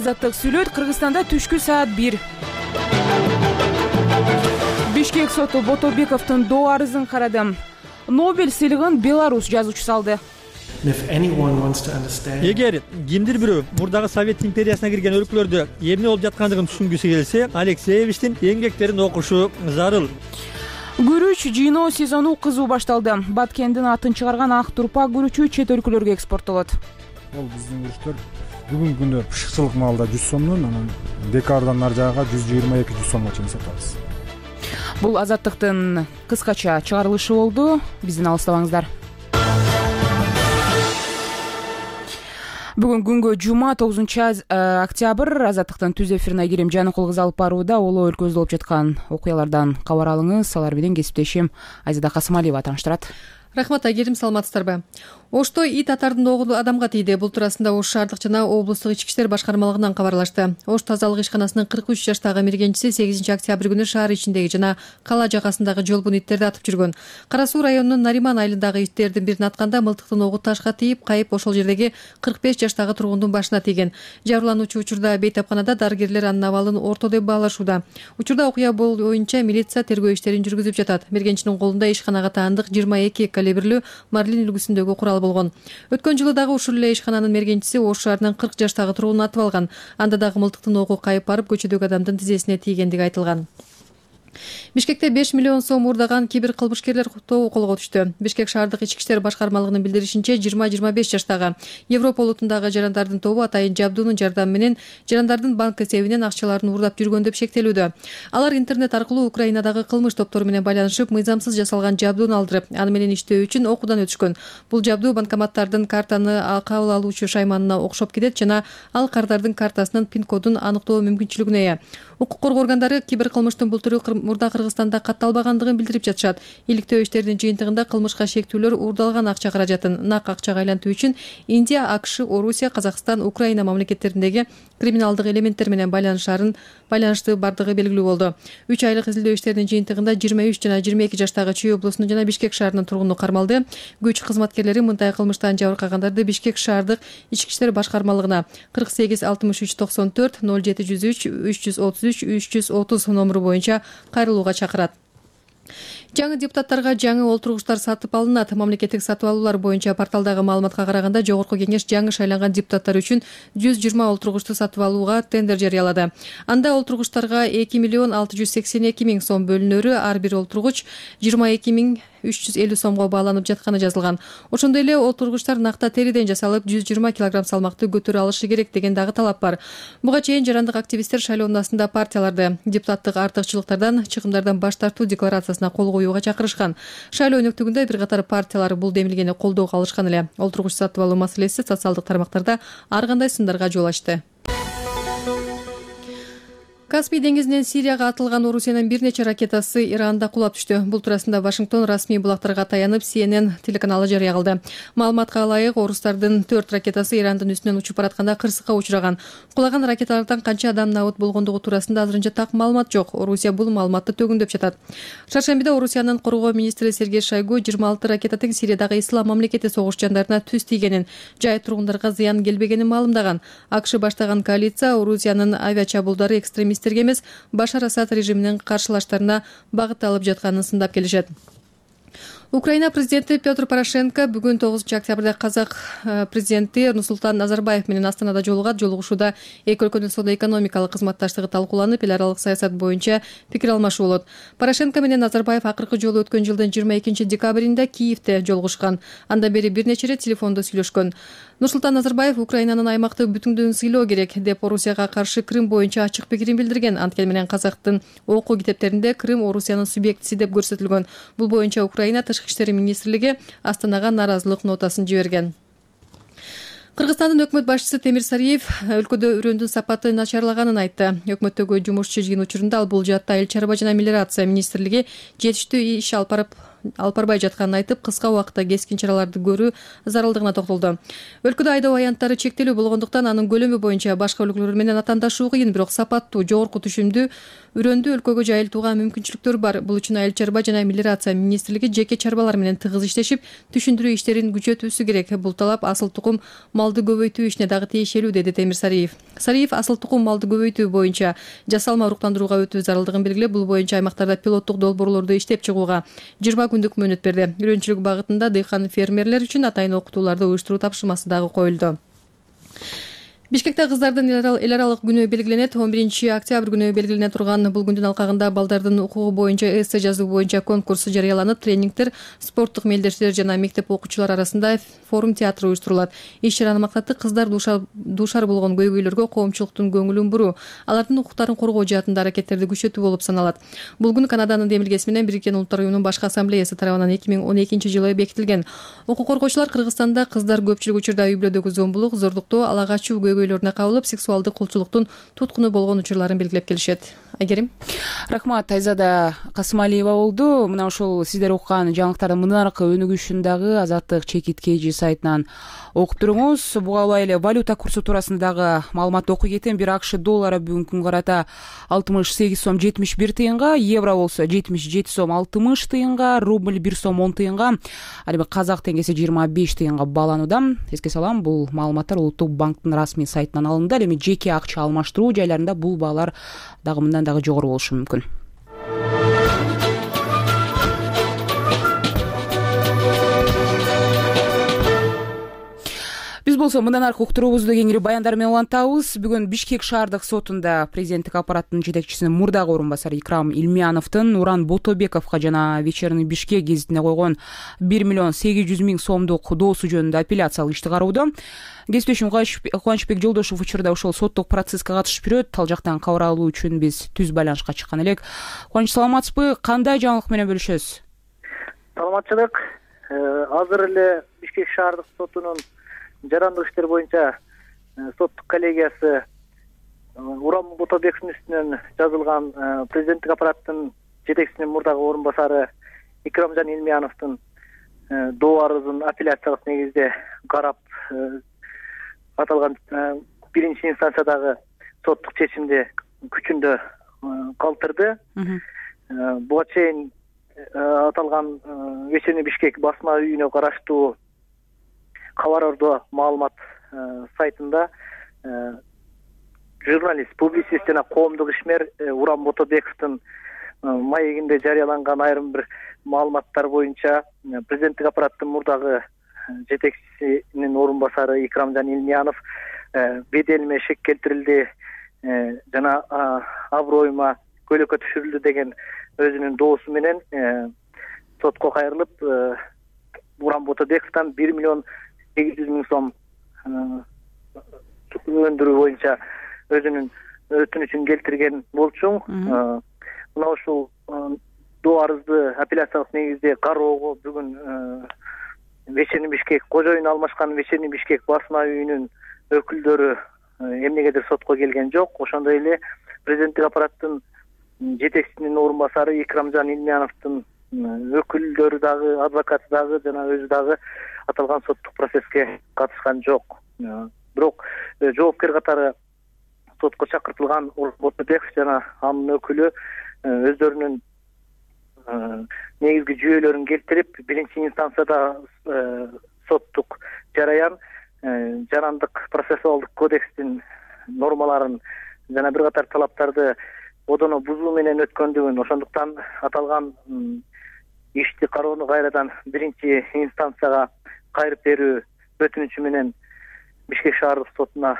Азаттык сүйлөйт. Кыргызстанда түшкү саат 1. Бишкек соту Ботобековдун доо арызын карады. Нобель сыйлыгын Беларусь жазуучусу алды. Эгер кимдир бирөө мурдагы Совет империясына кирген өлкөлөрдө эмне болуп жаткандыгын түшүнгүсү келсе, Алексеевичтин эмгектерин окушу зарыл. Күрүч жыйноо сезону кызуу башталды. Баткендин атын чыгарган ак турпа күрүчү чет өлкөлөргө экспорттолот. Бул биздин күрүчтөр бүгүнкү күндө пышыкчылык маалда 100 сомдон, анан декабрдан ары жагы 122-100 сомго чейин сатабыз. Бул Азаттыктын кыскача чыгарылышы болду. Бизден алыстабаңыздар. Бүгүн күнгө жума 9-октябрь. Азаттыктын түз эфирине Айгерим Жаныкул кызы алып барууда. Оло өлкөбүздө болуп жаткан окуялардан кабар алыңыз. Алар менен кесиптешим Айзада Касымалиева тааныштырат. Рахмат, Айгерим, саламатсыздарбы? Ошто ит атардын огу адамга тийди. Бул туурасында Ош шаардык жана облустук ички иштер башкармалыгынан кабарлашты. Ош тазалык ишканасынын 43 жаштагы мергенчиси 8-октябрь күнү шаар ичиндеги жана кала жагасындагы жолбун иттерди атып жүргөн. Кара Суу районунун Нариман айылындагы иттердин бирин атканда мылтыктын огу ташка тийип, кайып ошол жердеги 45 жаштагы тургундун башына тийген. Жабырлануучу учурда бейтапканада, дарыгерлер анын абалын орто деп баалашууда. Учурда окуя боюнча милиция тергөө иштерин жүргүзүп жатат. Мергенчинин колунда ишканага таандык 22 калибрлүү Марлин үлгүсүндөгү курал болгон. Өткөн жылы дагы ушул эле ишкананын мергенчиси Ош шаарынын 40 жаштагы тургунун атып алган. Анда дагы мылтыктын огу кайып барып, көчөдөгү адамдын тизесине тийгендиги айтылган. Бишкекте 5 миллион сом уурдаган кибер кылмышкерлер тобу колго түштү. Бишкек шаардык ички иштер башкармалыгынын билдиришинче, 20-25 жаштагы Европа улутундагы жарандардын тобу атайын жабдуунун жардамы менен жарандардын банк эсебинен акчаларын уурдап жүргөн деп шектелүүдө. Алар интернет аркылуу Украинадагы кылмыш топтору менен байланышып, мыйзамсыз жасалган жабдууну алдырып, аны менен иштөө үчүн окуудан өтүшкөн. Бул жабдуу банкоматтардын картаны кабыл алуучу шайманына окшоп кетет жана ал кардардын картасынын пин-кодун аныктоо мүмкүнчүлүгүнө ээ. Укук коргоо органдары кибер кылмыштын бул түрү мурда Кыргызстанда катталбагандыгын билдирип жатышат. Иликтөө иштеринин жыйынтыгында кылмышка шектүүлөр уурдалган акча каражатын нак акчага айлантуу үчүн Индия, АКШ, Орусия, Казакстан, Украина мамлекеттериндеги криминалдык элементтер менен байланышты бардыгы белгилүү болду. 3 айлык изилдөө иштеринин жыйынтыгында 23 жана 22 жаштагы Чүй облусунун жана Бишкек шаарынын тургуну кармалды. Күч кызматкерлери мындай кылмыштан жабыркагандарды Бишкек шаардык ички иштер башкармалыгына 48 63 94 0703 333 330 номуру боюнча кайрылууга чакырат. Жаңы депутаттарга жаңы олтургучтар сатып алынат. Мамлекеттик сатып алуулар боюнча порталдагы маалыматка караганда, Жогорку кеңеш жаңы шайланган депутаттар үчүн 120 олтургучту сатып алууга тендер жарыялады. Анда олтургучтарга 2 миллион 682 миң сом бөлүнөрү, ар бир олтургуч 22 миң 350 сомго бааланып жатканы жазылган. Ошондой эле олтургучтар накта териден жасалып 120 килограмм салмакты көтөрө алышы керек деген дагы талап бар. Буга чейин жарандык активисттер шайлоонасында партияларды депутаттык артыкчылыктардан, чыгымдардан баш тартуу декларациясына кол коюуга чакырышкан. Шайлоо өнөктүгүндө бир катар партиялар бул демилгени колдоого алышкан эле. Олтургуч сатып алуу маселеси социалдык тармактарда ар кандай сындарга жол ачты. Каспий деңизинен Сирияга атылган Орусиянын бир нече ракетасы Иранда кулап түштү. Бул туурасында Вашингтон расмий булактарга таянып CNN телеканалы жарыя кылды. Маалыматка ылайык, орустардын 4 ракетасы Ирандын үстүнөн учуп баратканда кырсыкка учураган. Кулаган ракеталардан канча адам набыт болгондугу туурасында азырынча так маалымат жок. Орусия бул маалыматты төгүндөп жатат. Шаршембиде Орусиянын коргоо министри Сергей Шойгу 26 ракетанын Сириядагы ислам мамлекети согушчандарына түз тийгенин, жай тургундарга зыян келбегенин маалымдаган. АКШ баштаган коалиция Орусиянын авиачабуулдары экстремисттерге эмес, Башар Асад режиминин каршылаштарына багытталып жатканын сындап келишет. Украина президенти Петр Порошенко бүгүн 9-октябрда казак президенти Нурсултан Назарбаев менен Астанада жолугат. Жолугушууда эки өлкөнүн соода-экономикалык кызматташтыгы талкууланып, эл аралык саясат боюнча пикир алмашуу болот. Порошенко менен Назарбаев акыркы жолу өткөн жылдын 22 декабринде Киевде жолугушкан. Андан бери бир нече ирет телефондо сүйлөшкөн. Нурсултан Назарбаев Украинанын аймактык бүтүндүгүн сыйлоо керек деп Орусияга каршы Крым боюнча ачык пикирин билдирген. Анткени менен казактын окуу китептеринде Крым Орусиянын субъектиси деп көрсөтүлгөн. Бул боюнча Украина Тышкы иштер министрлиги Астанага нааразылык нотасын жиберген. Кыргызстандын өкмөт башчысы Темир Сариев өлкөдө үрөндүн сапаты начарлаганын айтты. Өкмөттөгү жумушчу жыйын учурунда ал бул жаатта эл чарба жана мелиорация министрлиги жетиштүү иш алып барып алып барбай жатканын айтып, кыска убакытта кескин чараларды көрүү зарылдыгына токтолду. Өлкөдө айдоо аянттары чектелүү болгондуктан анын көлөмү боюнча башка өлкөлөр менен атаандашуу кыйын, бирок сапаттуу, жогорку түшүмдүү үрөндү өлкөгө жайылтууга мүмкүнчүлүктөр бар. Бул үчүн Айыл чарба жана мелиорация министрлиги жеке чарбалар менен тыгыз иштешип, түшүндүрүү иштерин күчөтүүсү керек. Бул талап асыл тукум малды көбөйтүү ишине дагы тиешелүү, деди Темир Сариев. Сариев асыл тукум малды көбөйтүү боюнча жасалма уруктандырууга өтүү зарылдыгын белгилеп, бул боюнча аймактарда пилоттук долбоорлорду иштеп чыгууга 20 күндүк мөөнөт берди. Үйрөнчүлүк багытында дыйкан фермерлер үчүн атайын окутууларды уюштуруу тапшырмасы дагы коюлду. Бишкекте кыздардын эл аралык күнү белгиленет. 11 октябрь күнү белгилене турган бул күндүн алкагында балдардын укугу боюнча эссе жазуу боюнча конкурс жарыяланып, тренингдер, спорттук мелдештер жана мектеп окуучулары арасында форум театр уюштурулат. Иш чаранын максаты кыздар дуушар болгон көйгөйлөргө коомчулуктун көңүлүн буруу, алардын укуктарын коргоо жаатында аракеттерди күчөтүү болуп саналат. Бул күн Канаданын демилгеси менен Бириккен Улуттар уюмунун башкы ассамблеясы тарабынан 2012 жылы бекитилген. Укук коргоочулар Кыргызстанда кыздар көпчүлүк учурда үй бүлөдөгү зомбулук, зордуктоо, ала качуу көйгөйлөрүнө кабылып, сексуалдык кулчулуктун туткуну болгон учурларын белгилеп келишет. Айгерим. Рахмат. Айзада Касымалиева болду. Мына ошол сиздер уккан жаңылыктардын мынаркы өнүгүшүн дагы Азаттык Чекит KG сайтынан окуп туруңуз. Буга ылай эле валюта курсу туурасында дагы маалымат окуй кетем. Бир АКШ доллары бүгүнкү күнгө карата 68 сом 71 тыйынга, евро болсо 77 сом 60 тыйынга, рубль 1 сом 10 тыйынга, ал эми казак теңгеси 25 тыйынга бааланууда. Эске салам, бул маалыматтар Улуттук банктын расмий сайтынан алынды. Ал эми жеке акча алмаштыруу жайларында бул баалар дагы мындан дагы жогору болушу мүмкүн. Биз болсо мындан аркы уктуруубузду кеңири баяндар менен улантабыз. Бүгүн Бишкек шаардык сотунда президенттик аппараттын жетекчисинин мурдагы орун басары Икрам Илмияновдун Уран Ботобековго жана Вечерний Бишкек гезитине койгон 1 миллион 800 миң сомдук доосу жөнүндө апелляциялык ишти кароодо. Кесиптешим Кубанычбек Жолдошев учурда ошол соттук процесске катышып жүрөт. Ал жактан кабар алуу үчүн биз түз байланышка чыккан элек. Кубаныч, саламатсызбы? Кандай жаңылык менен бөлүшөсүз? Саламатчылык. Азыр эле Бишкек шаардык сотунун жарандык иштер боюнча соттук коллегиясы Уран Ботобековдун үстүнөн жазылган президенттик аппараттын жетекчисинин мурдагы орун басары Икрамжан Илмияновдун доо арызын апелляциялык негизде карап, аталган биринчи инстанциядагы соттук чечимди күчүндө калтырды. Буга чейин аталган Вечерний Бишкек басма үйүнө караштуу кабар ордо маалымат сайтында журналист, публицист жана коомдук ишмер Уран Ботобековдун маегинде жарыяланган айрым бир маалыматтар боюнча президенттик аппараттын мурдагы жетекчисинин орун басары Икрамжан Илмиянов беделиме шек келтирилди жана аброюма көйлөккө түшүрүлдү деген өзүнүн доосу менен сотко кайрылып, Уран Ботобековдон 1 миллион 800 миң сом өндүрүү боюнча өзүнүн өтүнүчүн келтирген болчу. Мына ушул доо арызды апелляциялык негизде кароого бүгүн Вечерний Бишкек кожоюн алмашкан Вечерний Бишкек басма үйүнүн өкүлдөрү эмнегедир сотко келген жок. Ошондой эле президенттик аппараттын жетекчисинин орун басары Икрамжан Илмияновдун өкүлдөрү дагы, адвокаты дагы жана өзү дагы аталган соттук процесске катышкан жок. Бирок жоопкер катары сотко чакыртылган Уран Ботобеков жана анын өкүлү өздөрүнүн негизги жүйөлөрүн келтирип, биринчи инстанцияда соттук жараян жарандык процессуалдык кодекстин нормаларын жана бир катар талаптарды одоно бузуу менен өткөндүгүн, ошондуктан аталган ишти кароону кайрадан биринчи инстанцияга кайрып берүү өтүнүчү менен Бишкек шаардык сотуна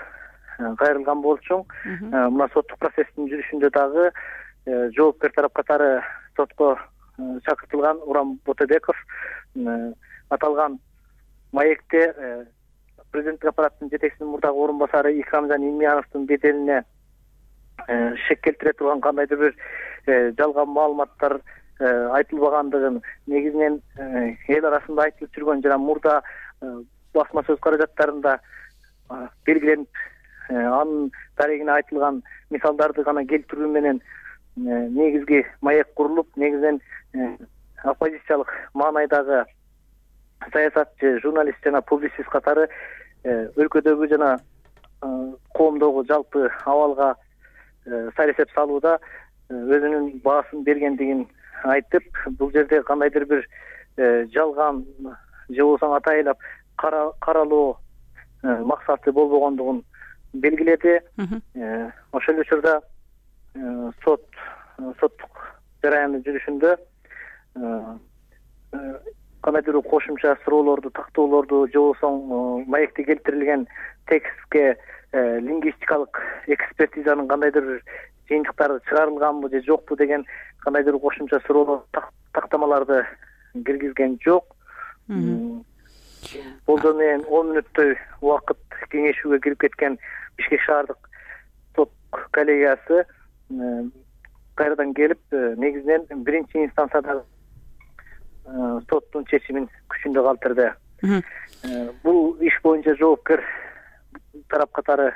кайрылган болчу. Мына соттук процесстин жүрүшүндө дагы жоопкер тарап катары сотко чакыртылган Уран Ботобеков аталган маекте президенттик аппараттын жетекчисинин мурдагы орун басары Икрамжан Илмияновдун беделине шек келтире турган кандайдыр бир жалган маалыматтар айтылбагандыгын, негизинен эл арасында айтылып жүргөн жана мурда басма сөз каражаттарында белгиленип анын дарегине айтылган мисалдарды гана келтирүү менен негизги маек курулуп, негизинен оппозициялык маанайдагы саясатчы, журналист жана публицист катары өлкөдөгү жана коомдогу жалпы абалга сайресеп салууда өзүнүн баасын бергендигин айтып, бул жерде кандайдыр бир жалган же болбосо атайлап каралоо максаты болбогондугун белгиледи. Ошол учурда соттук жараянды жүрүшүндө кандайдыр кошумча суроолорду, тактоолорду же болбосо маекте келтирилген текстке лингвистикалык экспертизанын кандайдыр бир жыйынтыктары чыгарылганбы же жокпу деген кандайдыр кошумча суроолор, тактамаларды киргизген жок. Болжол менен 10 мүнөттөй убакыт кеңешүүгө кирип кеткен Бишкек шаардык сот коллегиясы кайрадан келип, негизинен биринчи инстанциядагы соттун чечимин күчүндө калтырды. Бул иш боюнча жоопкер тарап катары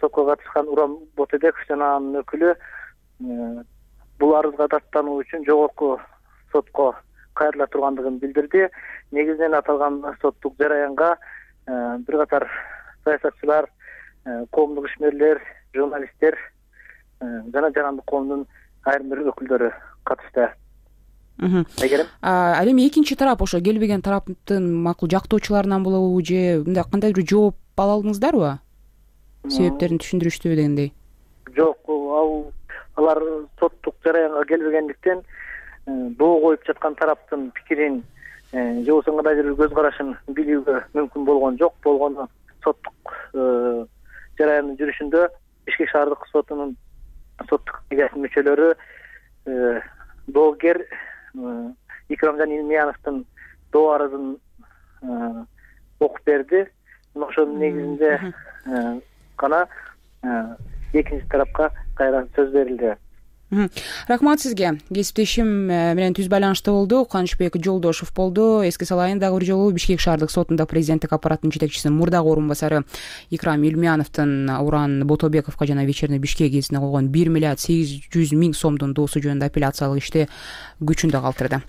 сотко катышкан Урам Ботебеков жана анын өкүлү бул арызга даттануу үчүн жогорку сотко кайрыла тургандыгын билдирди. Негизинен аталган соттук жараянга бир катар саясатчылар, коомдук ишмерлер, журналисттер жана жарандык коомдун айрым бир өкүлдөрү катышты. Ал эми экинчи тарап, ошо келбеген тараптын макул жактоочуларынан болобу же мындай кандай бир жооп ала алдыңыздарбы? Себептерин түшүндүрүштүбү дегендей? Жок, алар соттук жараянга келбегендиктен доо коюп жаткан тараптын пикирин же болбосо кандайдыр бир көз карашын билүүгө мүмкүн болгон жок. Болгону соттук жараяндын жүрүшүндө Бишкек шаардык сотунун соттук коллегиясынын мүчөлөрү доогер Икрамжан Илмияновдун доо арызын окуп берди. Ошонун негизинде гана экинчи тарапка кайра сөз берилди. Рахмат сизге. Кесиптешим менен түз байланышта болду. Кубанычбек Жолдошов болду. Эске салайын, дагы бир жолу Бишкек шаардык сотунда президенттик аппараттын жетекчиси мурдагы орун басары Икрам Илмияновдун Уран Ботобековго жана Вечерний Бишкек гезитине койгон 1 миллиард 800 миң сомдун доосу жөнүндө апелляциялык ишти күчүндө калтырды.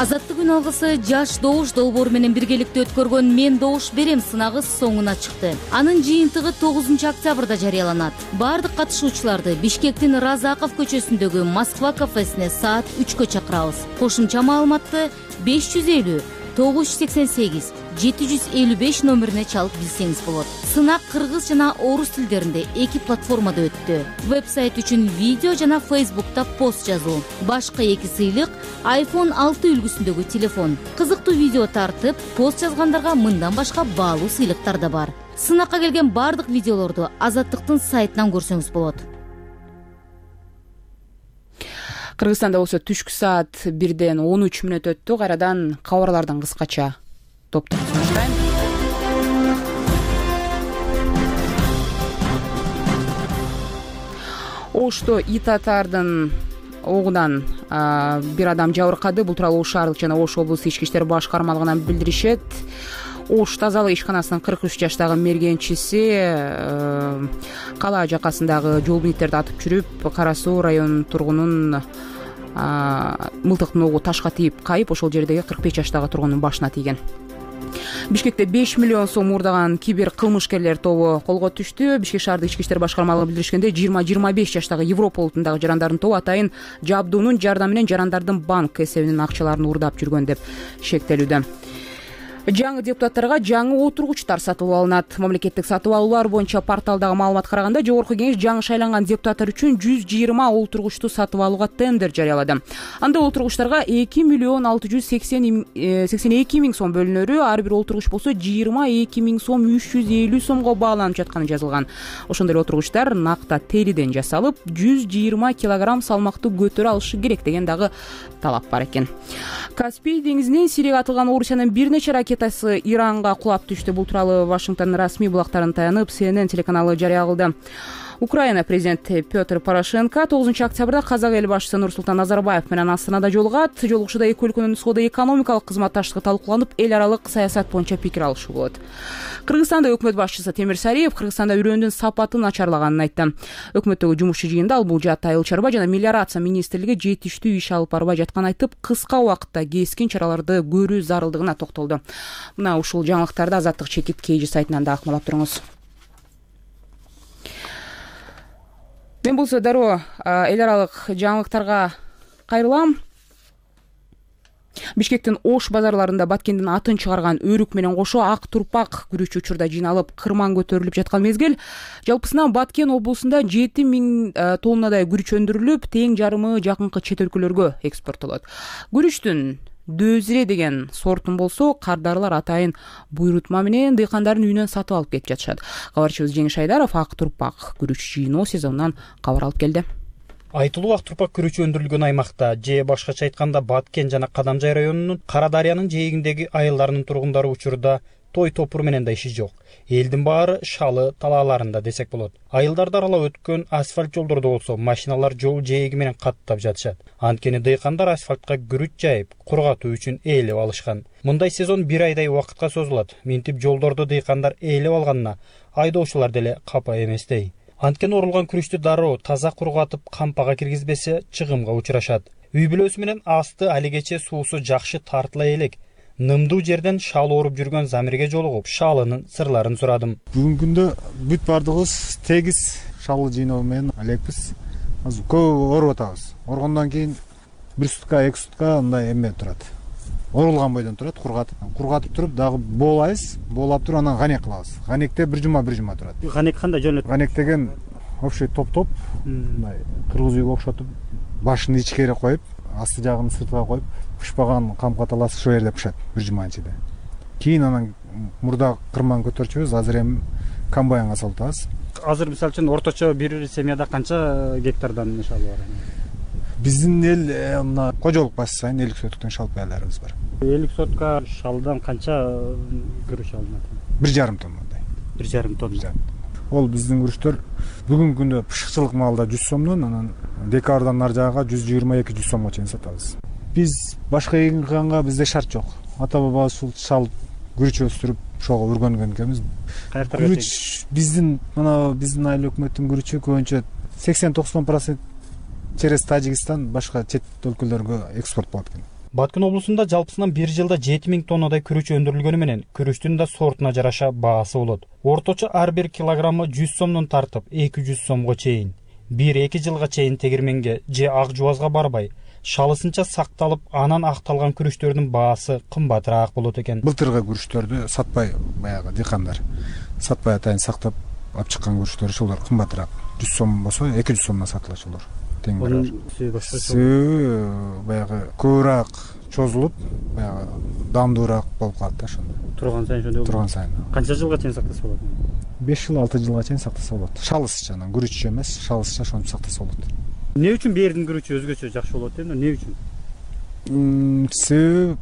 Азаттык күн алгысы жаш добуш долбоору менен биргеликте өткөргөн «Мен добуш берем» сынагы соңуна чыкты. Анын жыйынтыгы 9 октябрда жарыяланат. Бардык катышуучуларды Бишкектин Разаков көчөсүндөгү Москва кафесине саат 3кө чакырабыз. Кошумча маалыматты 550 988 755 номерине чалып билсеңиз болот. Сынак кыргыз жана орус тилдеринде 2 платформада өттү. Вебсайт үчүн видео жана Facebook'та пост жазуу. Башка 2 сыйлык iPhone 6 үлгүсүндөгү телефон. Кызыктуу видео тартып, пост жазгандарга мындан башка баалуу сыйлыктар да бар. Сынакка келген бардык видеолорду Азаттыктын сайтынан көрсөңүз болот. Кыргызстанда болсо түшкү саат 1ден 13 мүнөт өттү. Кайрадан кабарлардан кыскача топтоп баштайм. Ошто ит атардын огунан бир адам жабыркады. Бул тууралуу Ош шаардык жана Ош облустук ички иштер башкармалыгынан билдиришет. Ош тазалык ишканасынын 43 жаштагы мергенчиси кала жакасындагы жол бийиктерди атып жүрүп, Кара Суу районунун тургунун мылтыктын огу ташка тийип кайып, ошол жердеги 45 жаштагы тургундун башына тийген. Бишкекте 5 миллион сом уурдаган кибер кылмышкерлер тобу колго түштү. Бишкек шаардык ички иштер башкармалыгы билдиришкендей, 20-25 жаштагы Европа улутундагы жарандардын тобу атайын жабдуунун жардамы менен жарандардын банк эсебинин акчаларын уурдап жүргөн деп шектелүүдө. Жаңы депутаттарга жаңы отургучтар сатып алынат. Мамлекеттик сатып алуулар боюнча порталдагы маалыматка караганда, жогорку кеңеш жаңы шайланган депутаттар үчүн 120 отургучту сатып алууга тендер жарыялады. Анда отургучтарга 2 миллион 682 миң сом бөлүнөрү, ар бир отургуч болсо 22 миң сом 350 сомго бааланып жатканы жазылган. Ошондой отургучтар накта териден жасалып, 120 килограмм салмактуу көтөрө алышы керек деген дагы талап бар экен. Каспий деңизинен Сирияга атылган Орусиянын бир нече ракетасы Иранга кулап түштү. Бул тууралуу Вашингтондун расмий булактарына таянып CNN телеканалы жарыя кылды. Украина президенти Петр Порошенко 9 октябрда казак эл башчысы Нурсултан Назарбаев менен Астанада жолугат. Жолугушууда эки өлкөнүн соода-экономикалык кызматташтыгы талкууланып, эл аралык саясат боюнча пикир алышуу болот. Кыргызстанда өкмөт башчысы Темир Сариев Кыргызстанда үрөндүн сапаты начарлаганын айтты. Өкмөттөгү жумушчу жыйында ал бул жаатта айыл чарба жана мелиорация министрлиги жетиштүү иш алып барбай жатканын айтып, кыска убакытта кескин чараларды көрүү зарылдыгына токтолду. Мына ушул жаңылыктарды Азаттык чекит KG сайтынан да акмалап туруңуз. Мен болсо дароо эл аралык жаңылыктарга кайрылам. Бишкектин Ош базарларында Баткендин атын чыгарган өрүк менен кошо ак турпак күрүч учурда жыйналып, кырман көтөрүлүп жаткан мезгил. Жалпысынан Баткен облусунда 7000 тоннадай күрүч өндүрүлүп, тең жарымы жакынкы чет өлкөлөргө экспорттолот. Күрүчтүн Дөзире деген сортун болсо, кардарылар атайын буйрутма менен дыйкандардын үйүнөн сатып алып кетип жатышат. Кабарчыбыз Жеңиш Айдаров ак турпак күрүч жыйноо сезонунан кабар алып келди. Айтылуу ак турпак күрүчү өндүрүлгөн аймакта, же башкача айтканда Баткен жана Кадамжай районунун Кара Дарыянын жээгиндеги айылдарынын тургундары учурда той топур менен да иши жок. Элдин баары шалы талааларында десек болот. Айылдарды аралап өткөн асфальт жолдордо болсо машиналар жол жээги менен каттап жатышат. Анткени дыйкандар асфальтка күрүч жайып, кургатуу үчүн ээлеп алышкан. Мындай сезон 1 айдай убакытка созулат. Минтип жолдорду дыйкандар ээлеп алганына айдоочулар деле капа эместей. Анткени орулган күрүчтү дароо таза кургатып, кампага киргизбесе чыгымга учурашат. Үй бүлөсү менен асты алигече суусу жакшы тартыла элек. Нымдуу жерден шал ооруп жүргөн Замирге жолугуп, шалынын сырларын сурадым. Бүгүнкү күндө бүт бардыгыбыз тегиз шалы жыйноо менен алекпиз. Азыр көп ооруп атабыз. Оргондон кийин 1 сутка, 2 сутка мындай эме турат. Орулган бойдон турат, кургатып туруп дагы боолайбыз, боолап туруп анан ганек кылабыз. Ганекте 1 жума турат. Ганек кандай жөнөт? Ганек деген общий топ-топ, мындай кыргыз үйгө окшотуп, башын ичкери коюп, асты жагын сыртка коюп, пышпаган камка таласы ошол жерде пышат 1 жума ичинде. Кийин анан мурда кырман көтөрчүбүз, азыр эми комбайнга салып атабыз. Азыр мисалы үчүн орточо бир семьяда канча гектардан шал бар? Биздин эл мына кожолук баш сайын 50 соттуктан шал байларыбыз бар. 50 сотка шалдан канча күрүч алынат? 1,5 тоннадай. 1,5 тонна. Ол биздин күрүчтөр бүгүнкү күндө пышыкчылык маалда 100 сомдон, анан декабрдан нар жагага 122-100 сомго чейин сатабыз. Биз башка эгин кылганга бизде шарт жок. Ата бабабыз ушул шал күрүч өстүрүп, ошого үргөнгөн экенбиз. Күрүч биздин айыл өкмөттүн күрүчү көбүнчө 80-90% через Тажикстан, башка чет өлкөлөргө экспорт болот экен. Баткен облусунда жалпысынан 1 жылда 7000 тоннадай күрүч өндүрүлгөнү менен күрүчтүн да сортуна жараша баасы болот. Орточо ар бир килограммы 100 сомдон тартып 200 сомго чейин. 1-2 жылга чейин тегирменге же ак жубазга барбай, шалысынча сакталып, анан акталган күрүчтөрдүн баасы кымбатыраак болот экен. Былтыркы күрүчтөрдү сатпай, баягы дыйкандар сатпай атайын сактап алып чыккан күрүчтөр ошолор кымбатыраак. 100 сом болсо 200 сомдон сатылат ошолор. Баягы көбүрөөк чозулуп, баягы дамдуураак болуп калат да ошондо. Турган сайын. Канча жылга чейин сактаса болот? 5 жыл, 6 жылга чейин сактаса болот. Шалысча, анан күрүччө эмес, шалысча ошентип сактаса болот. Эмне үчүн бердин күрүчү өзгөчө жакшы болот эми? Эмне үчүн? Себеби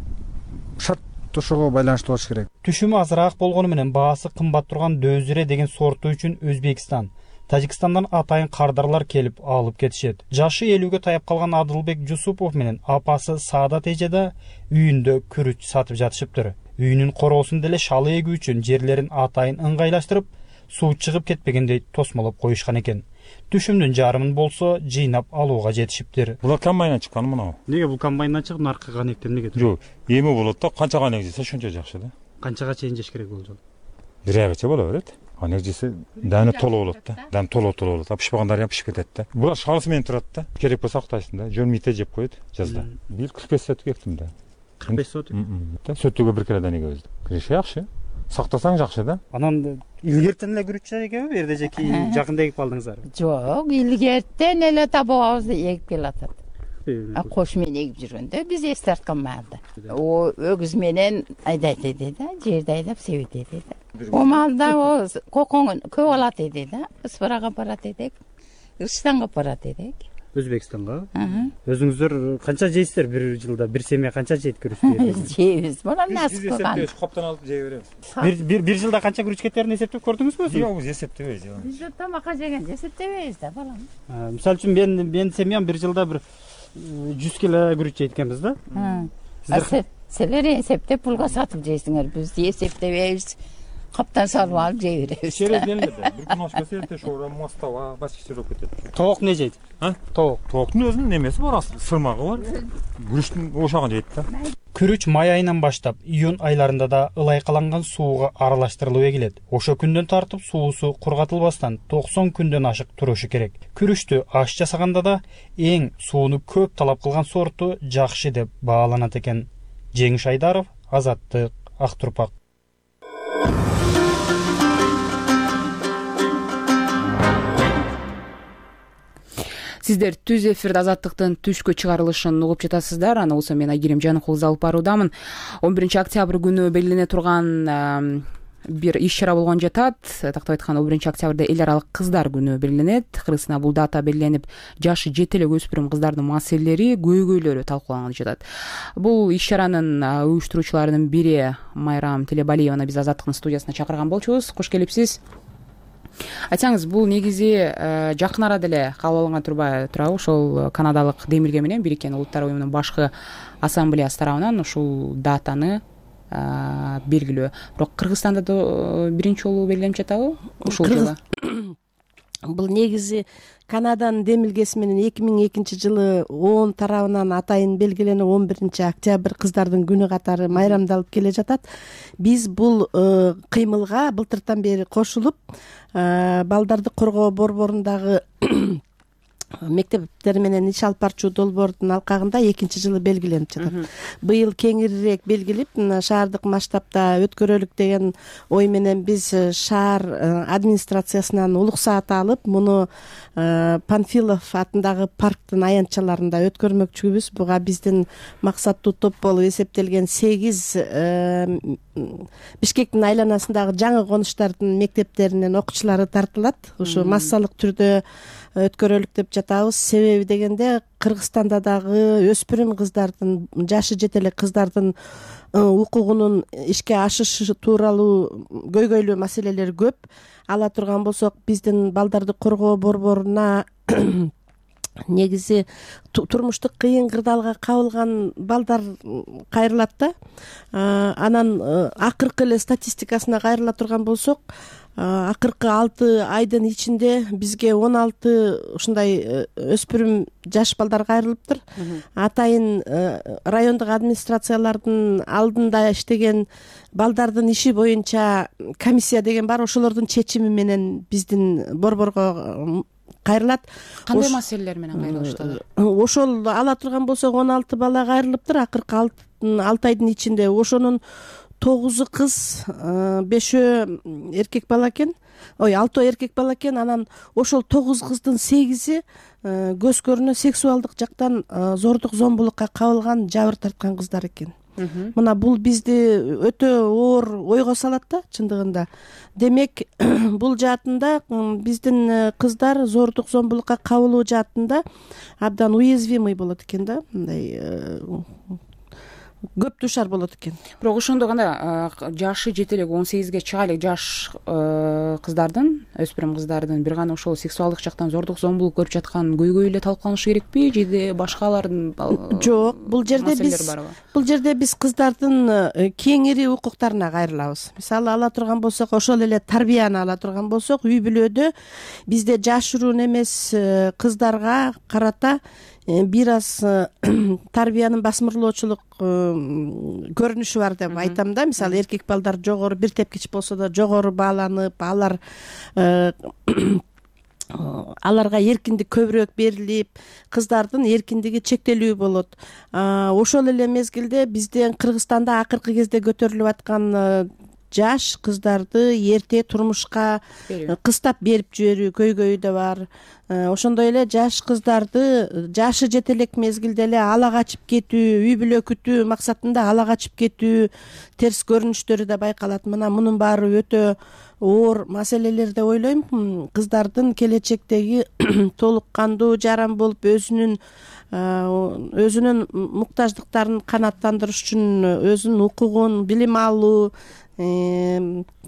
шарт ошого байланыштуу болуш керек. Түшүмү азыраак болгону менен баасы кымбат турган Дөзире деген сорту үчүн Өзбекстан, Тажикстандан атайын кардарлар келип алып кетишет. Жашы 50-ге таяп калган Адылбек Жусупов менен апасы Саадат эже да үйүндө күрүч сатып жатышыптыр. Үйүнүн короосун деле шалы эгүү үчүн жерлерин атайын ыңгайлаштырып, суу чыгып кетпегендей тосмолоп коюшкан экен. Түшүмдүн жарымын болсо жыйнап алууга жетишиптир. Булар комбайндан чыккан мына. Эмнеге бул комбайндан чыгып, наркы ганектен эмнеге? Жок, эми болот да, канча ганек жесе ошончо жакшы да. Канчага чейин жеш керек болжол? 1 айга боло берет. Ганек жесе даны толуп болот да. Даны толуп болот. Пышпагандар пышып кетет да. Булар шалысы менен турат да. Керек болсо актайсың да. Жөнмүйте жеп коет жазда. Бир 45 сотук эктим да. 45 сотук? Сөттүгө бир кере данеге өздүк. Киреше жакшы. Сактасаң жакшы да. Анан илгертен эле күрүч экенби, берде же кийин жакында эгип алдыңыздар? Жок, илгертен эле табабызды эгип келатат. Кош менен эгип жүргөндө биз эс тарткан маалда. Өгүз менен айдайт эди да, жерди айдап себет эди да. О маалда кокоң көп алат эди да. Ысбырага барат эдик, Ырстанга барат эдик. Өзбекстанга. Өзүңүздөр канча жейсиздер бир жылда? Бир семья канча жейт күрүч? Жейбиз. Мына насып кылган. Коптон алып жей беребиз. Бир жылда канча күрүч кетерин эсептеп көрдүңүзбү? Жок, биз эсептебейбиз. Биз тамакка жегенде эсептебейбиз да, балам. Мисалы үчүн мен семьям бир жылда бир 100 кило күрүч жейт экенбиз да. Силер эсептеп пулга сатып жейсиңер. Биз эсептебейбиз. Каптан салып алып жей беребиз. Через нелерде? Бир күн ашка серте шора мастава, башка болуп кетет. Тоок не жейт? Тооктун өзүнүн немеси бар, сырмагы бар. Күрүчтүн ошогун жейт да. Күрүч май айынан баштап июнь айларында да ылайкаланган сууга аралаштырылып эгилет. Ошо күндөн тартып суусу кургатылбастан 90 күндөн ашык турушу керек. Күрүчтү аш жасаганда да эң сууну көп талап кылган сорту жакшы деп бааланат экен. Жеңиш Айдаров, Азаттык, Ак Турпак. Сиздер түз эфирде Азаттыктын түшкү чыгарылышын угуп жатасыздар. Аны болсо мен Айгерим Жаныкулов алып баруудамын. 11-октябрь күнү белгилене турган бир иш-чара болгон жатат. Тактап айтканда 11-октябрда эл аралык кыздар күнү белгиленет. Кыргызстанда бул дата белгиленип, жашы жете эле өспүрүм кыздардын маселелери, көйгөйлөрү талкууланып жатат. Бул иш-чаранын уюштуруучуларынын бири Майрам Телебалиеваны биз Азаттыктын студиясына чакырган болчубуз. Кош келипсиз. Айтсаңыз, бул негизи жакын арада эле кабыл алынган турабы? Ошол Канадалык Демилге менен Бириккен Улуттар уюмунун башкы ассамблеясы тарабынан ушул датаны белгилөө. Бирок Кыргызстанда да биринчи жолу белгиленип жатабы ушул жылы? Бул негизи Канаданын демилгеси менен 2002 ООН тарабынан атайын белгиленип 11-октябрь кыздардын күнү катары майрамдалып келе жатат. Биз бул кыймылга былтыртан бери кошулуп, балдарды коргоо борборундагы мектептер менен иш алып барчу долбоордун алкагында 2-жылы белгиленип жатат. Быйыл кеңирирээк белгилип, шаардык масштабта өткөрөлүк деген ой менен биз шаар администрациясынан улук саат алып, муну Панфилов атындагы парктын аянтчаларында өткөрмөкчүбүз. Буга биздин максаттуу топ болуп эсептелген 8 Бишкектин айланасындагы жаңы конуштардын мектептеринен окуучулары тартылат. Ушу массалык түрдө өткөрөлүк деп жатабыз. Себеби дегенде Кыргызстанда дагы өспүрүм кыздардын, жашы жете эле кыздардын укугунун ишке ашышы тууралуу көйгөйлүү маселелер көп. Ала турган болсок, биздин балдарды коргоо борборуна негизи турмуштук кыйын кырдаалга кабылган балдар кайрылат да. Анан акыркы эле статистикасына кайрыла турган болсок, акыркы 6 айдын ичинде бизге 16 ушундай өспүрүм жаш балдар кайрылыптыр. Атайын райондук администрациялардын алдында иштеген балдардын иши боюнча комиссия деген бар. Ошолордун чечими менен биздин борборго кайрылат. Кандай маселелер менен кайрылышты? Ошол ала турган болсок 16 бала кайрылыптыр акыркы 6 айдын ичинде. Ошонун 9 кыз, 5 эркек бала экен. 6 эркек бала экен. Анан ошол 9 кыздын 8 көз көрүнө сексуалдык жактан зордук зомбулукка кабылган, жабыр тарткан кыздар экен. Мына бул бизди өтө оор ойго салат да, чындыгында. Демек, бул жаатында биздин кыздар зордук зомбулукка кабылуу жаатында абдан уязвимый болот экен да, мындай көп душар болот экен. Бирок ошондо кандай жашы жете элек 18ге чыга элек жаш кыздардын, өспүрүм кыздардын бир гана ошол сексуалдык жактан зордук зомбулук көрүп жаткан көйгөй эле талкууланышы керекпи, же башкалардын жок, бул жерде биз кыздардын кеңири укуктарына кайрылабыз. Мисалы ала турган болсок, ошол эле тарбияны ала турган болсок, үй бүлөдө бизде жашыруун эмес кыздарга карата бир аз тарбиянын басмырлоочулук көрүнүшү бар деп айтам да. Мисалы эркек балдар жогору, бир тепкич болсо да жогору бааланып, аларга эркиндик көбүрөөк берилип, кыздардын эркиндиги чектелүү болот. Ошол эле мезгилде бизден Кыргызстанда акыркы кезде көтөрүлүп аткан жаш кыздарды эрте турмушка кыстап берип жиберүү көйгөйү да бар. Ошондой эле жаш кыздарды жашы жете элек мезгилде эле ала качып кетүү, үй бүлө күтүү максатында ала качып кетүү терс көрүнүштөрү да байкалат. Мына мунун баары өтө оор маселелер деп ойлойм. Кыздардын келечектеги толук кандуу жаран болуп өзүнүн муктаждыктарын канааттандырыш үчүн өзүнүн укугун, билим алуу,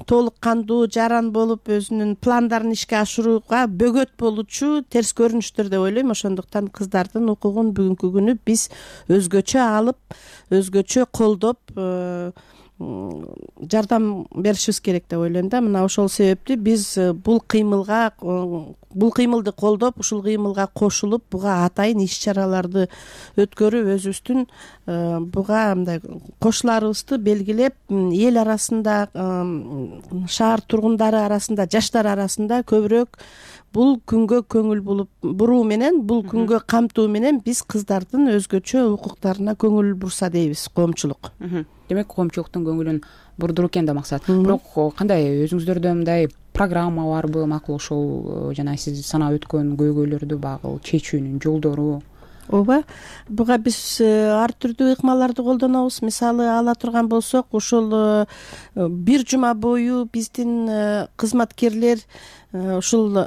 толук кандуу жаран болуп өзүнүн пландарын ишке ашырууга бөгөт болуучу терс көрүнүштөр деп ойлойм. Ошондуктан кыздардын укугун бүгүнкү күнү биз өзгөчө алып, өзгөчө колдоп жардам беришибиз керек деп ойлойм да. Мына ошол себептүү биз бул кыймылды колдоп, ушул кыймылга кошулуп, буга атайын иш чараларды өткөрүп, өзүбүздүн буга мындай кошуларыбызды белгилеп, эл арасында, шаар тургундары арасында, жаштар арасында көбүрөөк бул күнгө көңүл буруу менен, бул күнгө камтуу менен биз кыздардын өзгөчө укуктарына көңүл бурса дейбиз, коомчулук. Демек коомчулуктун көңүлүн бурдуруу экен да максат. Бирок кандай өзүңүздөрдө мындай программа барбы, макул ошол жана сиз санап өткөн көйгөйлөрдү багыл чечүүнүн жолдору? Ооба, буга биз ар түрдүү ыкмаларды колдонобуз. Мисалы ала турган болсок, ушул бир жума бою биздин кызматкерлер ушул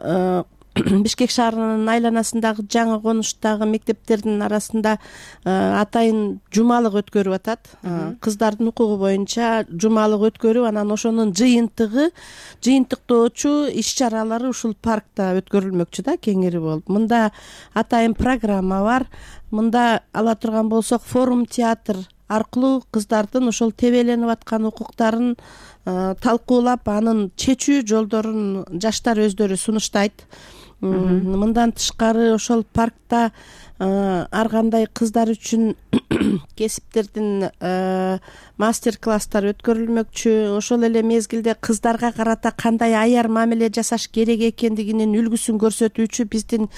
Бишкек шаарынын айланасындагы жаңы конуштагы мектептердин арасында атайын жумалык өткөрүп атат. Кыздардын укугу боюнча жумалык өткөрүп, анан ошонун жыйынтыктоочу иш чаралары ушул паркта өткөрүлмөкчү да, кеңири болуп. Мында атайын программа бар. Мында ала турган болсок, форум театр аркылуу кыздардын ошол тебеленип аткан укуктарын талкуулап, анын чечүү жолдорун жаштар өздөрү сунуштайт. Мындан тышкары ошол паркта ар кандай кыздар үчүн кесиптердин мастер-класстар өткөрүлмөкчү. Ошол эле мезгилде кыздарга карата кандай аяр мамиле жасаш керек экендигинин үлгүсүн көрсөтүүчү биздин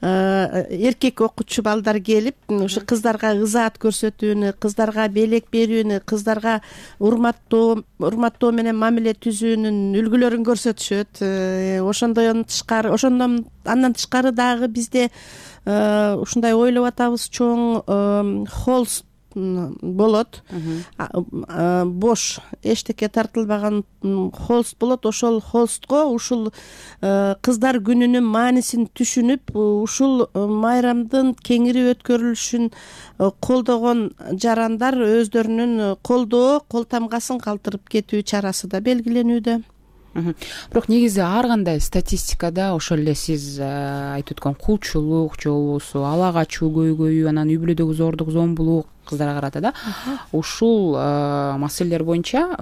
эркек окуучу балдар келип, ушу кыздарга ызаат көрсөтүүнү, кыздарга белек берүүнү, кыздарга урматтоо менен мамиле түзүүнүн үлгүлөрүн көрсөтүшөт. Андан тышкары дагы бизде ушундай ойлоп атабыз, чоң холст болот. Бош эчтеке тартылбаган холст болот. Ошол холстко ушул кыздар күнүнүн маанисин түшүнүп, ушул майрамдын кеңири өткөрүлүшүн колдогон жарандар өздөрүнүн колдоо кол тамгасын калтырып кетүү чарасы да белгиленүүдө. Бирок негизи ар кандай статистикада ошол эле сиз айтып өткөн кулчулук же болбосо ала качуу көйгөйү, анан үй бүлөдөгү зордук, зомбулук кыздарга карата да, ушул маселелер боюнча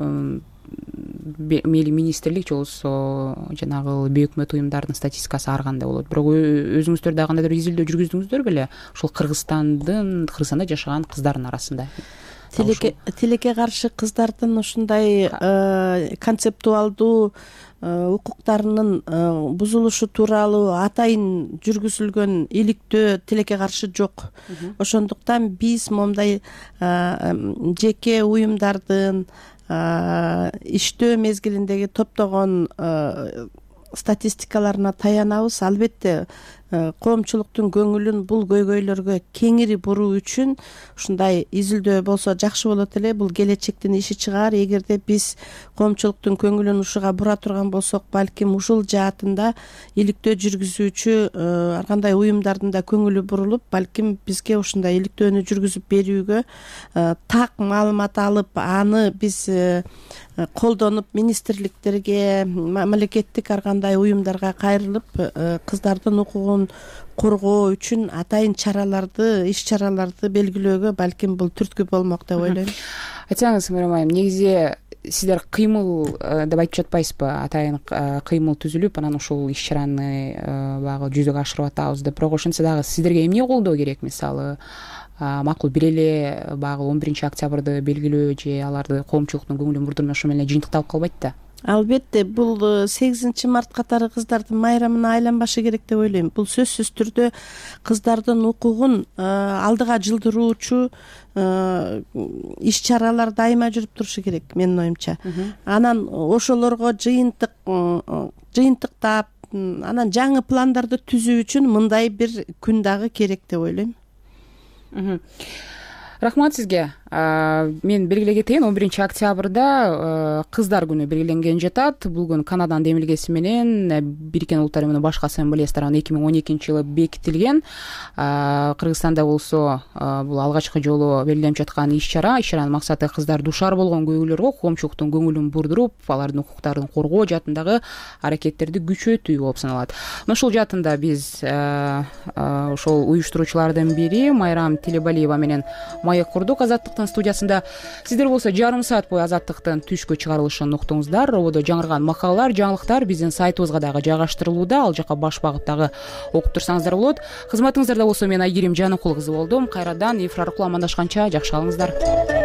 мейли министрлик же болбосо жанагы бейөкмөт уюмдардын статистикасы ар кандай болот. Бирок өзүңүздөр дагы кандайдыр изилдөө жүргүздүңүздөр беле ушул Кыргызстанда жашаган кыздардын арасында? Тилекке каршы кыздардын ушундай концептуалдуу укуктарынын бузулушу тууралуу атайын жүргүзүлгөн иликтөө тилекке каршы жок. Ошондуктан биз момундай жеке уюмдардын иштөө мезгилиндеги топтогон статистикаларына таянабыз. Албетте коомчулуктун көңүлүн бул көйгөйлөргө кеңири буруу үчүн ушундай изилдөө болсо жакшы болот эле. Бул келечектин иши чыгар. Эгерде биз коомчулуктун көңүлүн ушуга бура турган болсок, балким ушул жаатында иликтөө жүргүзүүчү ар кандай уюмдардын да көңүлү бурулуп, балким бизге ушундай иликтөөнү жүргүзүп берүүгө, так маалымат алып, аны биз колдонуп министрликтерге, мамлекеттик ар кандай уюмдарга кайрылып, кыздардын укугун коргоо үчүн атайын чараларды, иш чараларды белгилөөгө балким бул түрткү болмок деп ойлойм. Айтсаңыз, Мейрам айым, негизи сиздер кыймыл деп айтып жатпайсызбы? Атайын кыймыл түзүлүп, анан ушул иш чараны багы жүзөгө ашырып атабыз деп. Бирок ошентсе дагы сиздерге эмне колдоо керек? Мисалы, макул бир эле багы 11 октябрды белгилөө же аларды коомчулуктун көңүлүн бурдурмай ошо менен жыйынтыкталып калбайт да. Албетте, бул 8 март катары кыздардын майрамына айланбашы керек деп ойлойм. Бул сөзсүз түрдө кыздардын укугун алдыга жылдыруучу иш чаралар дайыма жүрүп турушу керек менин оюмча. Анан ошолорго жыйынтыктап, анан жаңы пландарды түзүү үчүн мындай бир күн дагы керек деп ойлойм. Рахмат сизге. Мен белгилей кетейин, 11 октябрда кыздар күнү белгиленген жатат. Бул күн Канаданын демилгеси менен Бириккен Улуттар Уюмунун башкы ассамблеясы тарабынан 2012-жылы бекитилген. Кыргызстанда болсо бул алгачкы жолу белгиленип жаткан иш-чара. Иш-чаранын максаты кыздар душар болгон көйгөйлөргө коомчулуктун көңүлүн бурдуруп, алардын укуктарын коргоо жаатындагы аракеттерди күчөтүү болуп саналат. Ошол жаатында биз ошол уюштуруучулардын бири Майрам Телебалиева менен маек курдук Азаттыктын студиясында. Сиздер болсо жарым саат бою Азаттыктын түшкү чыгарылышын уктуңуздар. Рободо жаңырган макалалар, жаңылыктар биздин сайтыбызга дагы жайгаштырылууда. Ал жака баш багыттагы окуп турсаңыздар болот. Кызматыңыздарда болсо мен Айгерим Жаныкул кызы болдум. Кайрадан эфир аркылуу амандашканча жакшы калыңыздар.